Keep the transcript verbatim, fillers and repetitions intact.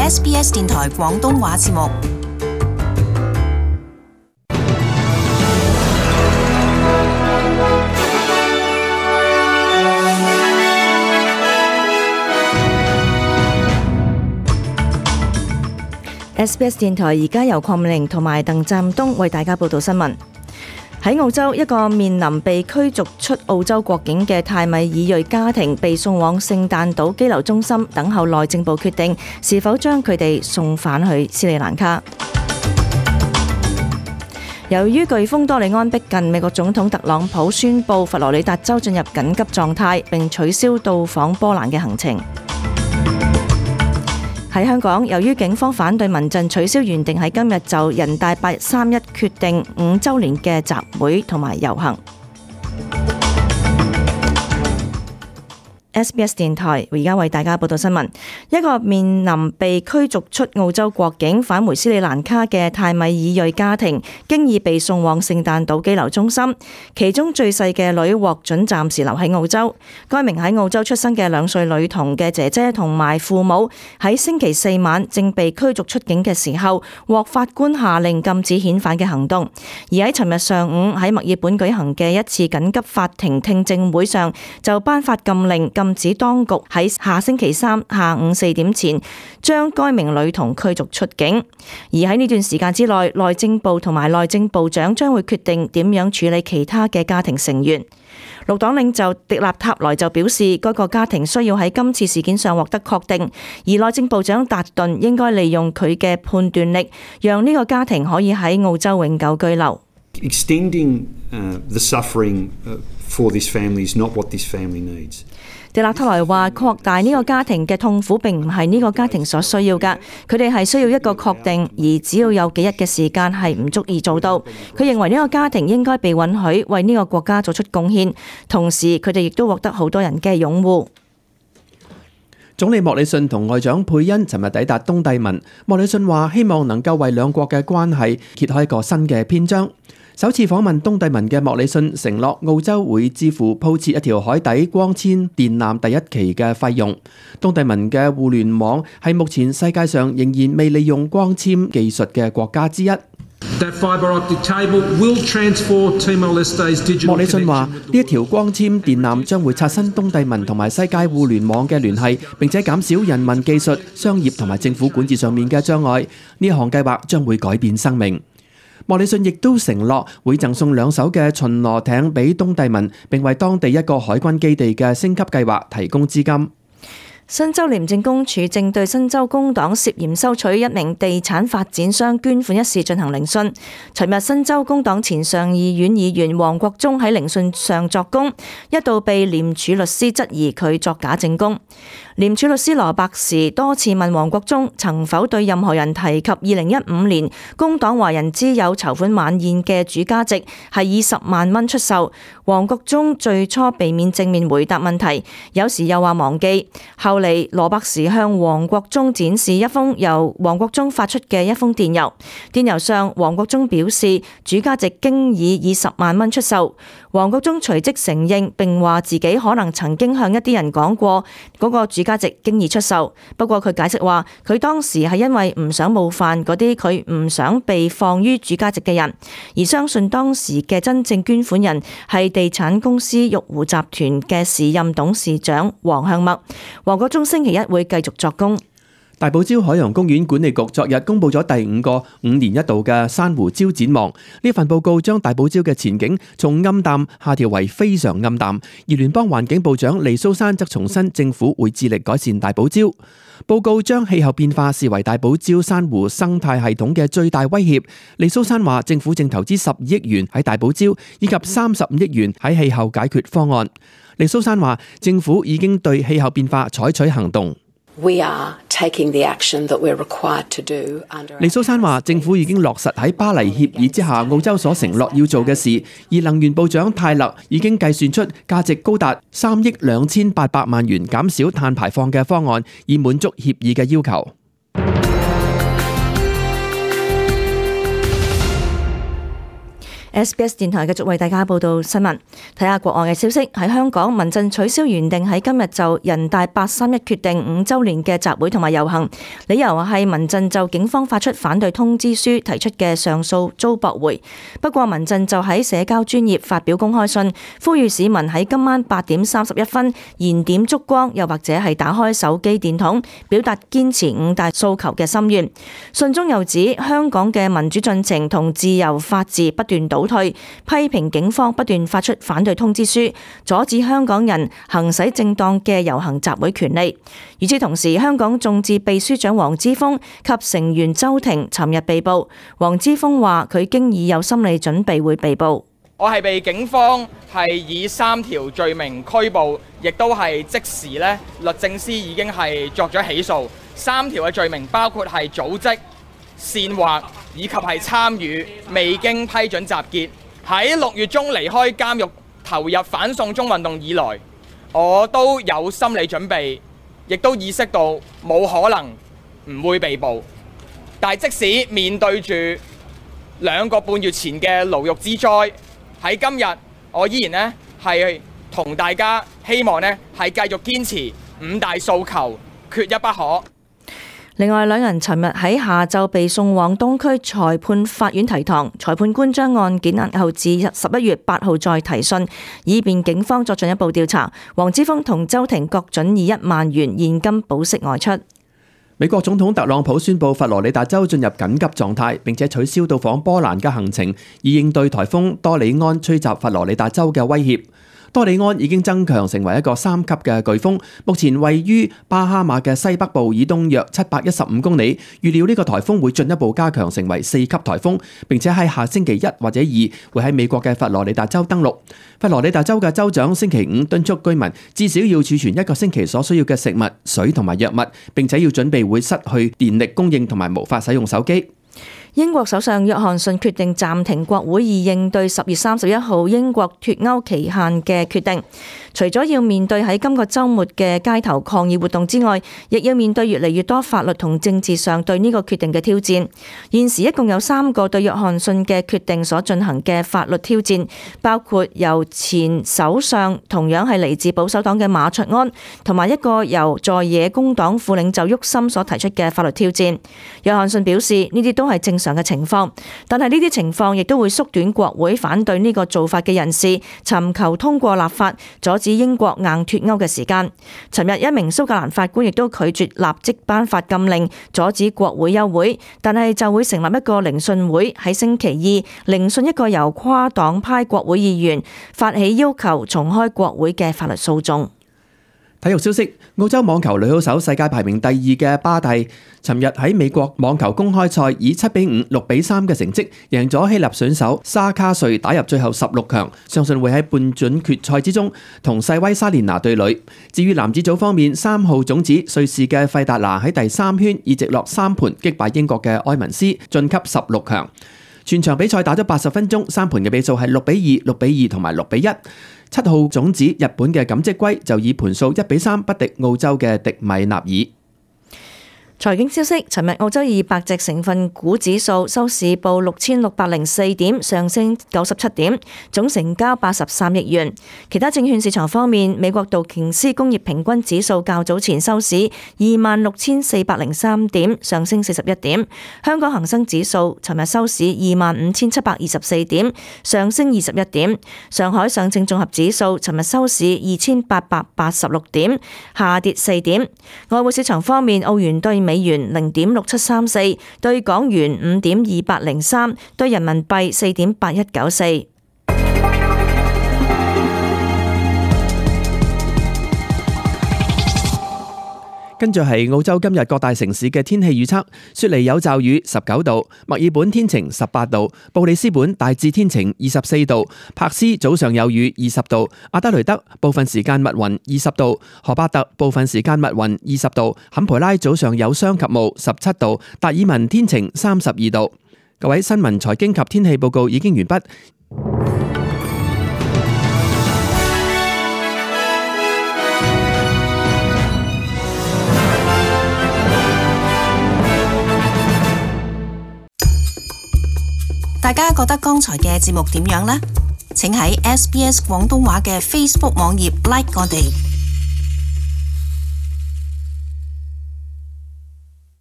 S B S 電台廣東話節目。S B S 電台而家由鄺美玲同埋鄧湛東為大家報道新聞。喺澳洲，一個面臨被驅逐出澳洲國境嘅泰米爾裔家庭被送往聖誕島羈留中心，等候內政部決定是否將佢哋送返去斯里蘭卡。由於颶風多利安逼近，美國總統特朗普宣布佛羅里達州進入緊急狀態，並取消到訪波蘭嘅行程。喺香港，由於警方反對民陣取消原定喺今日就人大八三一決定五週年嘅集會同埋遊行。S B S 電台而家為大家報道新聞。一個面臨被驅逐出澳洲國境返回斯里蘭卡嘅泰米爾裔家庭，經已被送往聖誕島羈留中心。其中最細嘅女獲准暫時留喺澳洲。該名喺澳洲出生嘅兩歲女童嘅姐姐同埋父母喺星期四晚正被驅逐出境嘅時候，獲法官下令禁止遣返嘅行動。而喺尋日上午喺墨爾本舉行嘅一次緊急法庭聽證會上，就頒發禁令，禁止當局喺下星期三下午四點前將該名女童驅逐出境。而喺呢段時間之內，內政部同埋內政部長將會決定點樣處理其他嘅家庭成員。綠黨領袖迪納塔萊就表示，該個家庭需要喺今次事件上獲得確定，而內政部長達頓應該利用佢嘅判斷力，讓呢個家庭可以喺澳洲永久居留。Extending uh, the suffering uh, for this family is not what this family needs. 迪納塔萊話：擴大呢個家庭嘅痛苦並唔係呢個家庭所需要㗎，佢哋係需要一個確定，而只要有幾日嘅時間係唔足以做到。佢認為呢個家庭應該被允許為呢個國家做出貢獻，同時佢哋亦都獲得好多人嘅擁護。總理莫里遜同外長佩恩尋日抵達東帝汶。莫里遜話：希望能夠為兩國嘅關係揭開一個新嘅篇章。首次訪問東帝汶嘅莫里遜承諾澳洲會支付鋪設一條海底光纖電纜第一期嘅費用。東帝汶嘅互聯網係目前世界上仍然未利用光纖技術嘅國家之一。莫里遜話：呢一條光纖電纜將會刷新東帝汶同埋世界互聯網嘅聯繫，並且減少人民技術、商業同埋政府管治上面嘅障礙。呢項計劃將會改變生命。莫里遜亦都承諾會贈送兩艘嘅巡邏艇俾東帝汶，並為當地一個海軍基地嘅升級計劃提供資金。新州廉政公署正對新州工黨涉嫌收取一名地產發展商捐款一事進行聆訊。尋日新州工黨前上議院議員黃國忠喺聆訊上作供，一度被廉署律師質疑佢作假證供。廉署律師羅伯時多次問黃國忠曾否對任何人提及二零一五年工黨華人之友籌款晚宴嘅主價值係以十萬蚊出售。黃國忠最初避免正面回答問題，有時又話忘記。後嚟羅伯時向黃國忠展示一封由黃國忠發出嘅一封電郵，電郵上黃國忠表示主價值經已以十萬蚊出售。黃國忠隨即承認並話自己可能曾經向一啲人講過嗰個主價值經已出售，不過佢解釋話佢當時係因為唔想冒犯嗰啲佢唔想被放於主價值嘅人，而相信當時嘅真正捐款人係地產公司玉湖集團嘅時任董事長黃向墨。黃國忠星期一會繼續作供。大堡礁海洋公園管理局昨日公布咗第五個五年一度嘅珊瑚礁展望。呢份報告將大堡礁嘅前景從暗淡下調為非常暗淡，而聯邦環境部長黎蘇珊則重申政府會致力改善大堡礁。報告將氣候變化視為大堡礁珊瑚生態系統嘅最大威脅。黎蘇珊話政府正投資十二億元喺大堡礁，以及三十五億元喺氣候解決方案。黎蘇珊話政府已經對氣候變化採取行動。We are taking the action that we're required to do under. 黎蘇珊話：政府已經落實喺巴黎協議之下澳洲所承諾要做嘅事，而能源部長泰勒已經計算出價值高達三億兩千八百萬元減少碳排放嘅方案，以滿足協議嘅要求。S B S 電台繼續為大家報道新聞。睇下國外嘅消息，喺香港，民陣取消原定喺今日就人大八三一決定五週年嘅集會同埋遊行，理由係民陣就警方發出反對通知書提出嘅上訴遭駁回。不過民陣就喺社交專頁發表公開信，呼籲市民喺今晚八點三十一分燃點燭光，又或者係打開手機電筒，表達堅持五大訴求嘅心願。信中又指香港嘅民主進程同自由法治不斷倒退，批評警方不斷發出反對通知書，阻止香港人行使正當嘅遊行集會權利。與此同時，香港眾志秘書長黃之鋒及成員周庭尋日被捕。黃之鋒話佢經已有心理準備會被捕。我係被警方係以三條罪名拘捕，亦都係即時咧，律政司已經係作咗起訴。三條嘅罪名包括係組織、煽惑以及係參與未經批准集結。喺六月中離開監獄投入反送中運動以來，我都有心理準備，亦都意識到冇可能唔會被捕。但係即使面對住兩個半月前嘅牢獄之災，喺今日我依然呢係同大家希望呢係繼續堅持五大訴求，缺一不可。另外，兩人尋日喺下晝被送往東區裁判法院提堂，裁判官將案件押後至十一月八號再提訊，以便警方作進一步調查。黃之鋒同周庭各准以一萬元現金保釋外出。美國總統特朗普宣布佛羅里達州進入緊急狀態，並且取消到訪波蘭嘅行程，以應對颱風多里安吹襲佛羅里達州嘅威脅。多里安已經增強成為一個三級嘅颶風，目前位於巴哈馬嘅西北部以東約七百一十五公里。預料呢個颱風會進一步加強成為四級颱風，並且喺下星期一或者二會喺美國嘅佛羅里達州登陸。佛羅里達州嘅州長星期五敦促居民至少要儲存一個星期所需要嘅食物、水同埋藥物，並且要準備會失去電力供應同埋無法使用手機。英國首相約翰遜決定暫停國會以應對十月三十一號英國脫歐期限嘅決定。除咗要面對喺今個週末嘅街頭抗議活動之外，亦要面對越嚟越多法律同政治上對呢個決定嘅挑戰。現時一共有三個對約翰遜嘅決定所進行嘅法律挑戰，包括由前首相同樣係嚟自保守黨嘅馬卓安，同埋一個由在野工黨副領袖沃森所提出嘅法律挑戰。約翰遜表示呢啲都係正常嘅情況，但係呢啲情況亦都會縮短國會反對呢個做法嘅人士尋求通過立法阻止英國硬脫歐嘅時間。尋日一名蘇格蘭法官亦都拒絕立即頒發禁令阻止國會休會，但係就會成立一個聆訊會喺星期二聆訊一個由跨黨派國會議員發起要求重開國會嘅法律訴訟。體育消息：澳洲網球女好手世界排名第二嘅巴蒂，尋日喺美國網球公開賽以七比五、六比三嘅成績贏咗希臘選手沙卡瑞，打入最後十六強，相信會喺半準決賽之中同世威莎蓮娜對壘。至於男子組方面，三號種子瑞士嘅費達拿喺第三圈以直落三盤擊敗英國嘅埃文斯，晉級十六強。全場比賽打咗八十分鐘，三盤嘅比數係六比二、六比二同埋六比一。七號種子日本嘅錦織圭就以盤數一比三不敵澳洲嘅迪米納爾。財經消息：尋日澳洲二百隻成分股指數收市報六千六百零四點，上升九十七點，總成交八十三億元。其他證券市場方面，美國道瓊斯工業平均指數較早前收市二萬六千四百零三點，上升四十一點。香港恒生指數尋日收市二萬五千七百二十四點，上升二十一點。上海上證綜合指數尋日收市二千八百八十六點，下跌四點。外匯市場方面，澳元對美元零點六七三四，對港元五點二八零三，對人民幣四點八一九四。跟住係澳洲今日各大城市嘅天氣預測：雪梨有驟雨十九度，墨爾本天晴十八度，布里斯本大致天晴二十四度，柏斯早上有雨二十度，阿德雷德部分時間密雲二十度，荷巴特部分時間密雲二十度，坎培拉早上有霜及霧十七度，達爾文天晴三十二度。各位，新聞財經及天氣報告已經完畢。大家覺得剛才嘅節目點樣呢？請喺 S B S 廣東話嘅 Facebook 網頁 like 我哋。